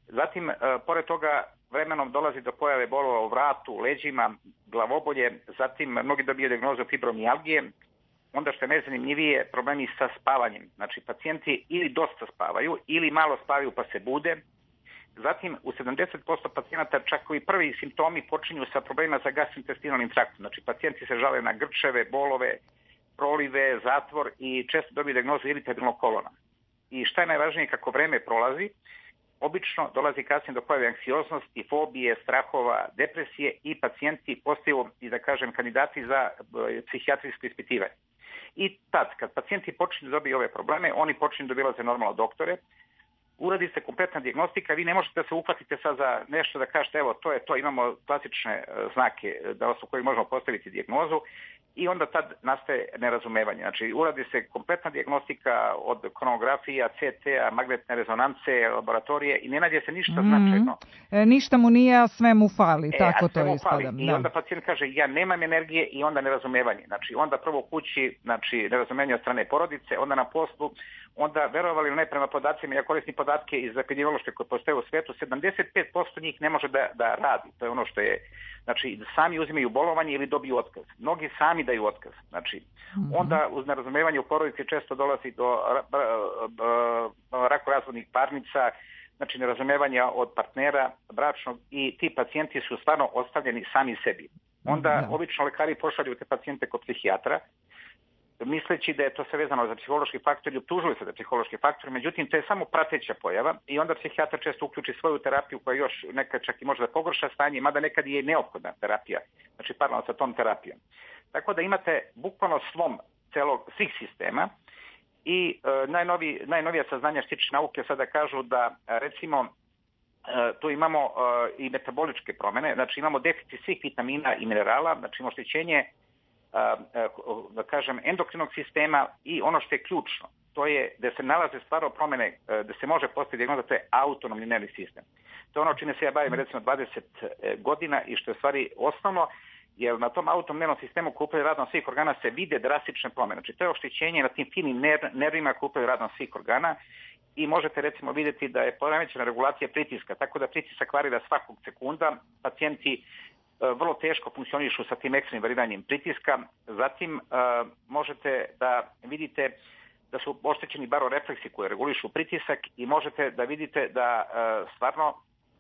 Zatim, pored toga, vremenom dolazi do pojave bolova u vratu, leđima, glavobolje, zatim mnogi dobiju dijagnozu fibromijalgije, onda što je najzanimljivije problemi sa spavanjem. Znači, pacijenti ili dosta spavaju ili malo spavaju pa se bude. Zatim, u 70% pacijenata čak i prvi simptomi počinju sa problemima sa gastrointestinalnim traktom. Znači, pacijenti se žale na grčeve, bolove, prolive, zatvor i često dobiju dijagnozu iritabilnog kolona. I šta je najvažnije, kako vreme prolazi, obično dolazi kasnije do pojave anksioznosti, fobije, strahova, depresije i pacijenti postaju, i da kažem, kandidati za psihijatrijsko ispitivanje. I tad, kad pacijenti počinju da dobiju ove probleme, oni počinju da obilaze normalno doktore, uradi se kompletna dijagnostika, vi ne možete da se uhvatite sad za nešto da kažete evo to je to, imamo klasične znake da su koji možemo postaviti dijagnozu i onda tad nastaje nerazumevanje. Znači uradi se kompletna dijagnostika od kronografija, CT-a, magnetne rezonance, laboratorije i ne nađe se ništa značajno. Ništa mu nije, a sve mu fali, tako to ispada. I onda pacijent kaže ja nemam energije i onda nerazumevanje. Znači onda prvo u kući, znači nerazumevanje od strane porodice, onda na poslu, onda verovali ili ne prema podacima, ja koristim podatke iz epidemiološke koje postoje u svetu, 75% njih ne može da radi. To je ono što je, znači sami uzimaju bolovanje ili dobiju otkaz. Mnogi sami daju otkaz. Znači, onda uz nerazumevanje u porodici često dolazi do rakorazvodnih parnica, znači nerazumevanja od partnera bračnog i ti pacijenti su stvarno ostavljeni sami sebi. Onda obično lekari pošalju te pacijente kod psihijatra, misleći da je to sve vezano za psihološki faktor i optužuju se da je psihološki faktor, međutim to je samo prateća pojava i onda psihijatar često uključi svoju terapiju koja još nekad čak i može da pogorša stanje, mada nekad je neophodna terapija, znači paralelno sa tom terapijom. Tako da imate bukvalno slom svih sistema i najnovija saznanja što tiče nauke sada kažu da recimo tu imamo i metaboličke promene, znači imamo deficit svih vitamina i minerala, znači imamo oštećenje da kažem endokrinog sistema i ono što je ključno, to je da se nalaze stvarno promene, da se može postaviti dijagnoza, to je autonomni nervni sistem. To je ono čime se ja bavim recimo 20 godina i što je stvari osnovno, jer na tom autonomnom nervnom sistemu koji upravlja radom svih organa se vide drastične promene. Znači to je oštećenje na tim finim nervima koji upravlja radom svih organa i možete recimo vidjeti da je poremećena regulacija pritiska, tako da pritisak varira svakog sekunda, pacijenti vrlo teško funkcionišu sa tim ekstremnim variranjem pritiska. Zatim možete da vidite da su oštećeni barorefleksi koji regulišu pritisak i možete da vidite da stvarno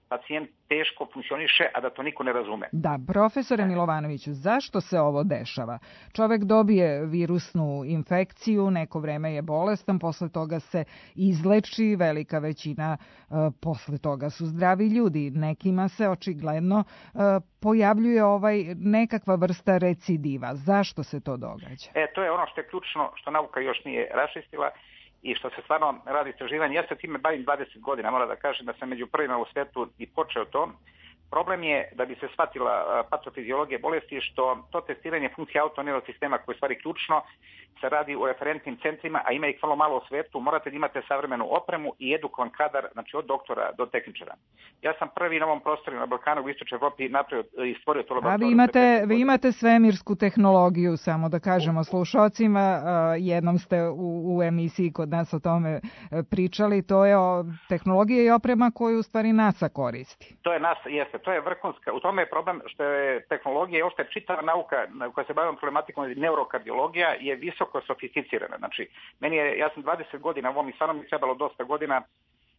pacijent teško funkcioniše, a da to niko ne razume. Da, profesore Milovanoviću, zašto se ovo dešava? Čovek dobije virusnu infekciju, neko vreme je bolestan, posle toga se izleči, velika većina posle toga su zdravi ljudi. Nekima se očigledno pojavljuje nekakva vrsta recidiva. Zašto se to događa? To je ono što je ključno, što nauka još nije raščistila i što se stvarno radi istraživanje. Ja se time bavim 20 godina, moram da kažem da sam među prvima u svetu i počeo to. Problem je da bi se shvatila patofiziologija bolesti što to testiranje funkcije autonomnog sistema koje je stvari ključno se radi u referentnim centrima, a ima ih vrlo malo u svetu. Morate da imate savremenu opremu i edukovan kadar, znači od doktora do tehničara. Ja sam prvi na ovom prostoru na Balkanu u Istočnoj Evropi napravio i stvorio to laboratoriju. A vi imate svemirsku tehnologiju, samo da kažemo slušalcima. Jednom ste u emisiji kod nas o tome pričali. To je tehnologija i oprema koju u stvari NASA koristi. To je NASA, jeste. to je vrhunska, u tome je problem što je tehnologija i ošte čitava nauka koja se bavim problematikom neurokardiologija je visoko sofisticirana. Znači, ja sam 20 godina u ovom i stvarno mi trebalo dosta godina.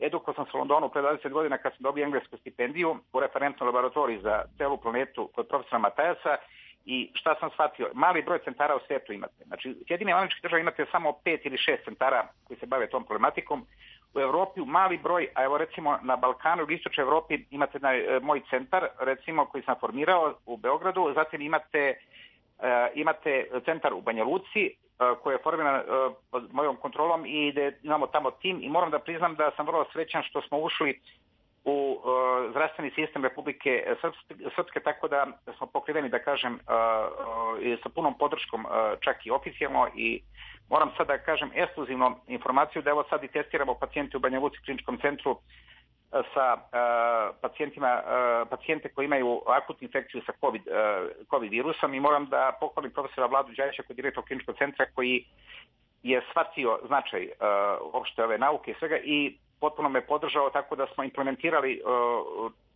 Edukao sam se u Londonu pre 20 godina kad sam dobio englesku stipendiju u referentnoj laboratoriji za celu planetu kod profesora Matajasa i šta sam shvatio, mali broj centara u svijetu imate. Znači, Sjedinjene Američke Države imate samo 5 ili 6 centara koji se bave tom problematikom. U Evropi mali broj, a evo recimo na Balkanu i istočnoj Evropi imate moj centar, recimo koji sam formirao u Beogradu, zatim imate centar u Banja Luci koji je formiran pod mojom kontrolom i imamo tamo tim i moram da priznam da sam vrlo srećan što smo ušli u zdravstveni sistem Republike Srpske, tako da smo pokriveni, da kažem, sa punom podrškom čak i oficijalno i moram sad da kažem ekskluzivnu informaciju da evo sad i testiramo pacijente u Banja Luci kliničkom centru sa pacijente koji imaju akutnu infekciju sa COVID virusom i moram da pohvalim profesora Vladu Đajića koji je direktor kliničkog centra koji je shvatio značaj uopšte ove nauke i svega i potpuno me podržao tako da smo implementirali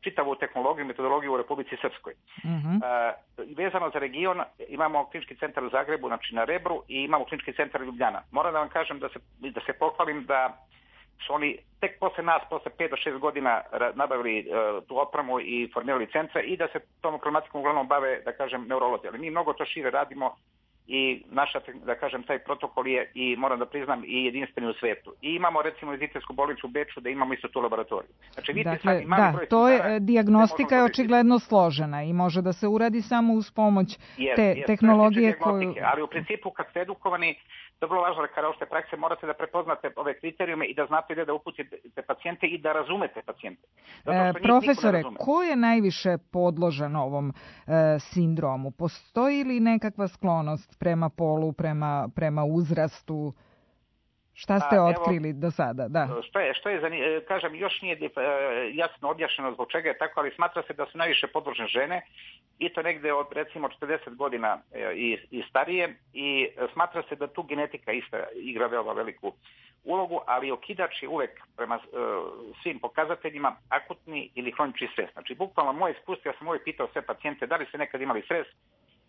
čitavu tehnologiju i metodologiju u Republici Srpskoj. Vezano za region imamo klinički centar u Zagrebu, znači na Rebru i imamo klinički centar u Ljubljana. Moram da vam kažem da se pohvalim da su oni tek posle nas, posle 5 do 6 godina nabavili tu opremu i formirali centra i da se tom problematikom uglavnom bave, da kažem, neurolozi. Ali mi mnogo to šire radimo i naša, da kažem, taj protokol je i moram da priznam i jedinstveni u svetu. I imamo recimo izitelsku bolnicu u Beču da imamo isto tu laboratoriju. Znači, dakle, to je dijagnostika je očigledno složena i može da se uradi samo uz pomoć te tehnologije koju... Ali u principu kad ste edukovani, to je vrlo važno da kada ošte prakse morate da prepoznate ove kriterijume i da znate gde da uputite pacijente i da razumete pacijente. Profesore, ko je najviše podložan ovom sindromu? Postoji li nekakva sklonost prema polu, prema uzrastu? Šta ste otkrili do sada? Da. Što je kažem, još nije jasno objašnjeno zbog čega je tako, ali smatra se da su najviše podložene žene i to negde od recimo 40 godina i starije i smatra se da tu genetika isto igra veoma veliku ulogu, ali okidač je uvek prema svim pokazateljima akutni ili hronični stres. Znači, bukvalno moje iskustvo, ja sam uvek pitao sve pacijente da li ste nekad imali stres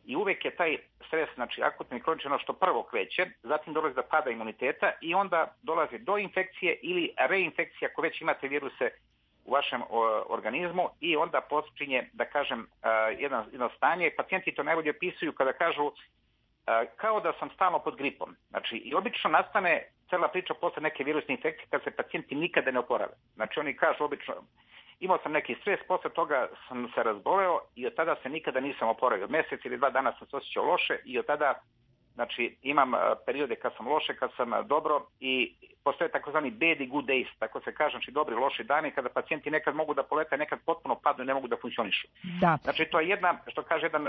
i uvek je taj stres, znači akutni i hronični, ono što prvo kreće, zatim dolazi do pada imuniteta i onda dolazi do infekcije ili reinfekcije ako već imate viruse u vašem organizmu i onda počinje, da kažem, jedno stanje. Pacijenti to najbolje opisuju kada kažu kao da sam stalno pod gripom. Znači, i obično nastane cela priča posle neke virusne infekcije kad se pacijenti nikada ne oporave. Znači, oni kažu obično, imao sam neki stres, posle toga sam se razboleo i od tada se nikada nisam oporavio. Mesec ili 2 dana sam se osjećao loše i od tada, znači, imam periode kad sam loše, kad sam dobro i postoje takozvani bad i good days, tako se kaže, znači dobri i loši dani kada pacijenti nekad mogu da polete, nekad potpuno padnu i ne mogu da funkcionišu. Da. Znači, to je jedna, što kaže jedan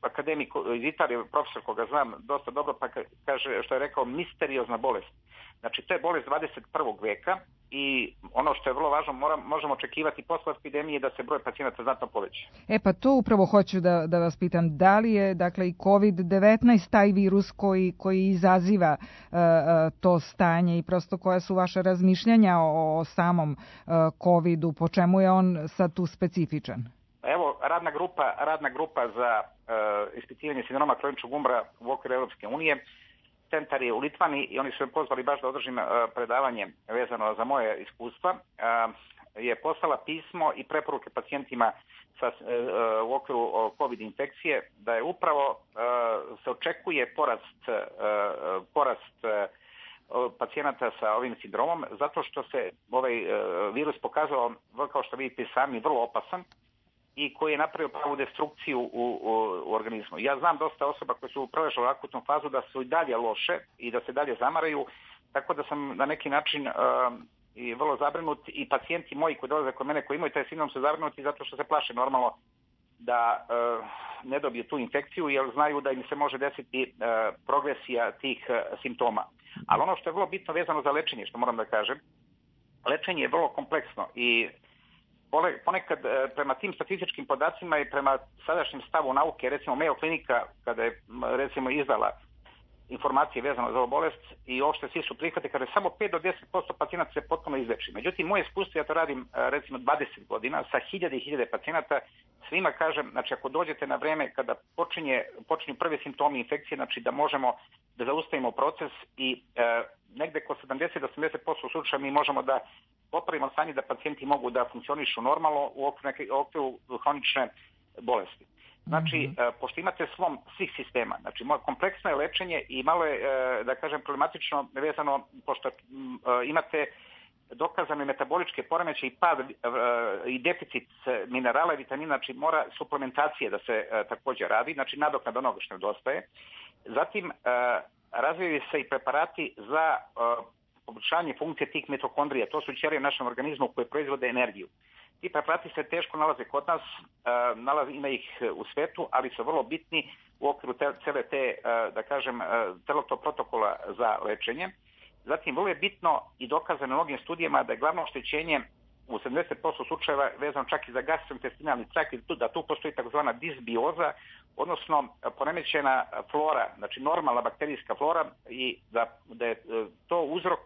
akademik iz Italije, profesor koga znam dosta dobro, pa kaže, što je rekao, misteriozna bolest. Znači, to je bolest 21. veka i ono što je vrlo važno, možemo očekivati posle epidemije da se broj pacijenata znatno poveća. Pa to upravo hoću da vas pitam, da li je, dakle, i COVID-19 taj virus koji izaziva to stanje i prosto koja su vaše razmišljanja o samom COVID-u, po čemu je on sad tu specifičan? Evo, radna grupa za ispitivanje sindroma kroničnog umora u okviru Europske unije, centar je u Litvani i oni su me pozvali baš da održim predavanje vezano za moje iskustva. Je poslala pismo i preporuke pacijentima u okviru COVID infekcije da je upravo se očekuje porast pacijenata sa ovim sindromom zato što se ovaj virus pokazao, kao što vidite sami, vrlo opasan i koji je napravio pravu destrukciju u organizmu. Ja znam dosta osoba koje su preležale akutnu fazu da su i dalje loše i da se dalje zamaraju, tako da sam na neki način i vrlo zabrinut i pacijenti moji koji dolaze kod mene koji imaju taj sindrom su zabrinuti zato što se plaše normalno da ne dobiju tu infekciju jer znaju da im se može desiti progresija tih simptoma. Ali ono što je vrlo bitno vezano za lečenje, što moram da kažem, lečenje je vrlo kompleksno i ponekad prema tim statističkim podacima i prema sadašnjem stavu nauke, recimo Mayo klinika kada je recimo izdala informacije vezano za ovu bolest i uopšte svi su prihvati kada samo 5 do 10% pacijenata se potpuno izleči. Međutim, moje iskustvo, ja to radim recimo 20 godina sa hiljade i hiljade pacijenata, svima kažem, znači ako dođete na vreme kada počinju prvi simptomi infekcije, znači da možemo da zaustavimo proces i negde oko 70 do 80% slučaja mi možemo da popravimo stanje da pacijenti mogu da funkcionišu normalno u okviru hronične bolesti. Znači, pošto imate slom svih sistema, znači kompleksno je lečenje i malo je, da kažem, problematično vezano, pošto imate dokazane metaboličke poremećaje i pad i deficit minerala i vitamina, znači mora suplementacije da se također radi, znači nadoknada onoga što nedostaje. Zatim, razvijaju se i preparati za poboljšanje funkcije tih mitokondrija, to su ćelije u našem organizmu koje proizvode energiju. Ti preparati se teško nalaze kod nas, ima ih u svetu, ali su vrlo bitni u okviru cele te, da kažem, celog tog protokola za lečenje. Zatim, vrlo je bitno i dokazano mnogim studijama da je glavno oštećenje u 70% slučajeva vezano čak i za gastrointestinalni trakt, da tu postoji takozvana disbioza, odnosno poremećena flora, znači normalna bakterijska flora i da je to uzrok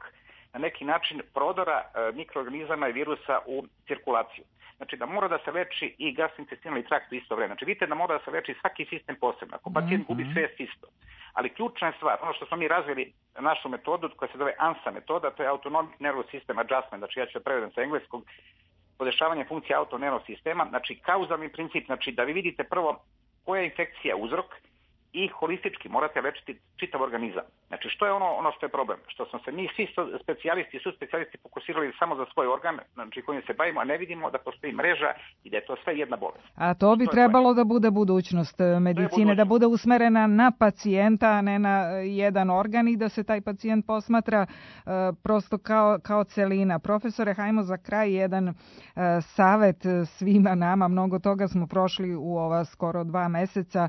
na neki način prodora mikroorganizama i virusa u cirkulaciju. Znači da mora da se leči i gastrointestinalni trakt u isto vreme. Znači vidite da mora da se leči svaki sistem posebno. Ako pacijent gubi svest isto. Ali ključna je stvar, ono što smo mi razvili našu metodu koja se zove ANSA metoda, to je Autonomic Nervous System Adjustment, znači ja ću prevedem sa engleskog, podešavanje funkcije autonervnog sistema, znači kauzalni princip, znači da vi vidite prvo koja je infekcija uzrok i holistički morate lečiti čitav organizam. Znači što je ono što je problem? Što smo se mi svi specijalisti fokusirali samo za svoj organ, znači kojim se bavimo, a ne vidimo da postoji mreža i da je to sve jedna bolest. A to bi trebalo da bude budućnost medicine, da bude usmerena na pacijenta, a ne na jedan organ i da se taj pacijent posmatra prosto kao celina. Profesore, hajmo za kraj jedan savet svima nama. Mnogo toga smo prošli u ova skoro 2 meseca.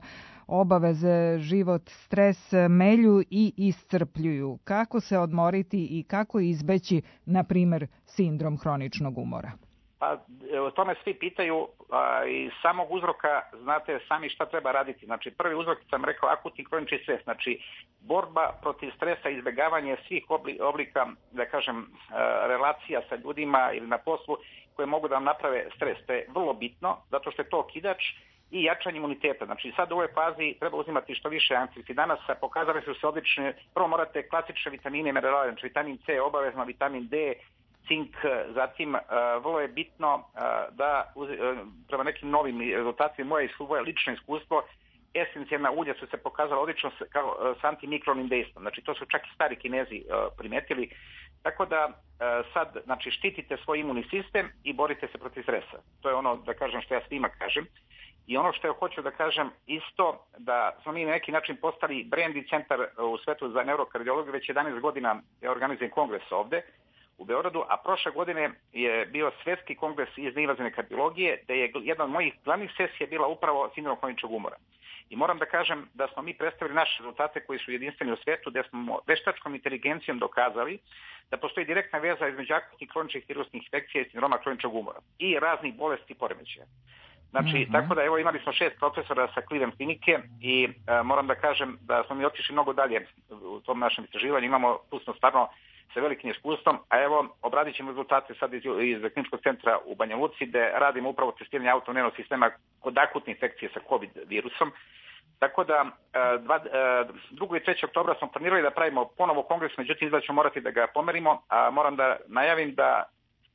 Obaveze, život, stres melju i iscrpljuju. Kako se odmoriti i kako izbeći, na primjer, sindrom hroničnog umora? Pa o tome svi pitaju i samog uzroka znate sami šta treba raditi. Znači prvi uzrok sam rekao akutni kronični stres, znači borba protiv stresa, izbjegavanje svih oblika, da kažem, relacija sa ljudima ili na poslu koje mogu da vam naprave stres. To je vrlo bitno zato što je to okidač i jačanje imuniteta. Znači sad u ovoj fazi treba uzimati što više antioksidanaca, pokazali su se odlične, prvo morate klasične vitamine i minerale, znači vitamin C obavezno, vitamin D, cink, zatim vrlo je bitno da prema nekim novim rezultatima moje lično iskustvo, esencijalna ulja su se pokazala odlično s antimikronim dejstvom, znači to su čak i stari Kinezi primetili, tako da sad znači štitite svoj imunni sistem i borite se protiv stresa. To je ono da kažem što ja svima kažem. I ono što ja hoću da kažem isto, da smo mi na neki način postali brand i centar u svetu za neurokardiologiju, već 11 godina je organizujem kongres ovde u Beogradu, a prošle godine je bio svetski kongres iz invazivne kardiologije, gde je jedna od mojih glavnih sesija bila upravo sindrom hroničnog umora. I moram da kažem da smo mi predstavili naše rezultate koji su jedinstveni u svetu, gde smo veštačkom inteligencijom dokazali da postoji direktna veza između akutnih kroničnih virusnih infekcija i sindroma hroničnog umora i raznih bolesti i poremećaja. Znači, tako da evo imali smo 6 profesora sa Cleveland klinike i moram da kažem da smo mi otišli mnogo dalje u tom našem istraživanju, imamo pustno stvarno sa velikim iskustvom, a evo obradit ćemo rezultate sad iz kliničkog centra u Banja Luci gde radimo upravo testiranje autonervnog sistema kod akutne infekcije sa COVID virusom. Tako da 2. i 3. oktobra smo planirali da pravimo ponovo kongres, međutim izgleda ćemo morati da ga pomerimo, a moram da najavim da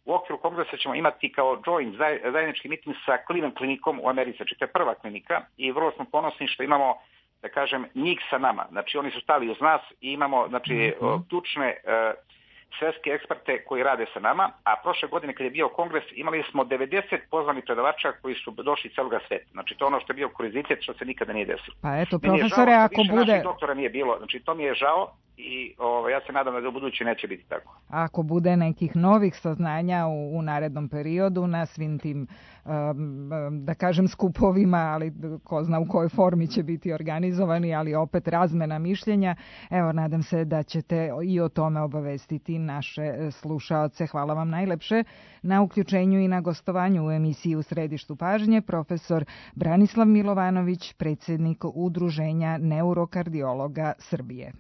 u okviru kongresa ćemo imati kao joint zajednički miting sa Cleveland klinikom u Americi, znači to je prva klinika i vrlo smo ponosni što imamo, da kažem, njih sa nama. Znači oni su stali uz nas i imamo znači ključne svetske eksperte koji rade sa nama, a prošle godine kad je bio kongres imali smo 90 pozvanih predavača koji su došli iz celoga sveta. Znači to je ono što je bio kuriozitet što se nikada nije desilo. Pa eto, profesore, ako bude... Naših doktora nije bilo, znači to mi je žao, i ja se nadam da u budući neće biti tako. Ako bude nekih novih saznanja u narednom periodu na svim tim, da kažem, skupovima, ali ko zna u kojoj formi će biti organizovani, ali opet razmena mišljenja, evo, nadam se da ćete i o tome obavestiti naše slušaoce. Hvala vam najlepše na uključenju i na gostovanju u emisiji U središtu pažnje, profesor Branislav Milovanović, predsjednik Udruženja neurokardiologa Srbije.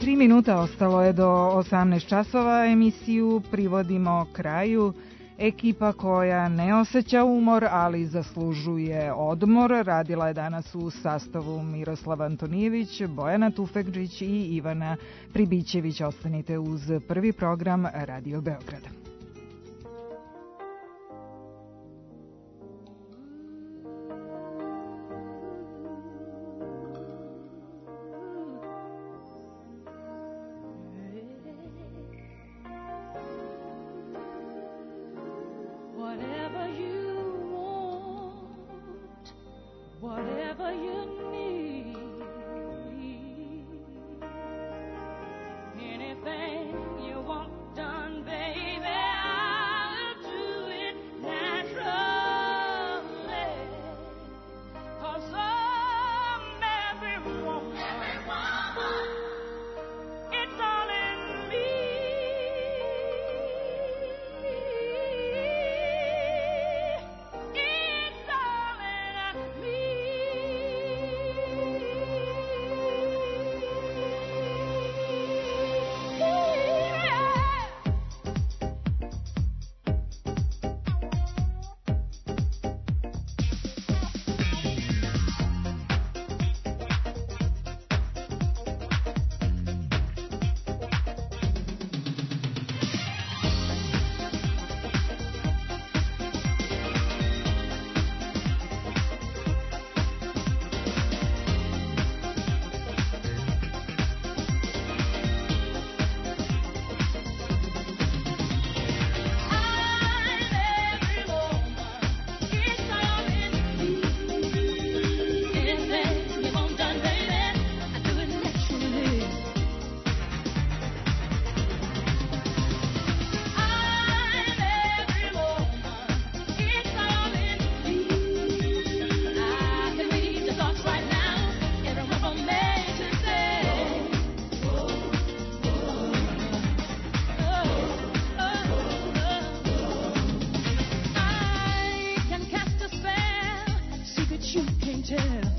Tri minuta ostalo je do 18 časova. Emisiju privodimo kraju. Ekipa koja ne osjeća umor, ali zaslužuje odmor, radila je danas u sastavu Miroslav Antonijević, Bojana Tufekđić i Ivana Pribićević. Ostanite uz prvi program Radio Beograda. You can't tell.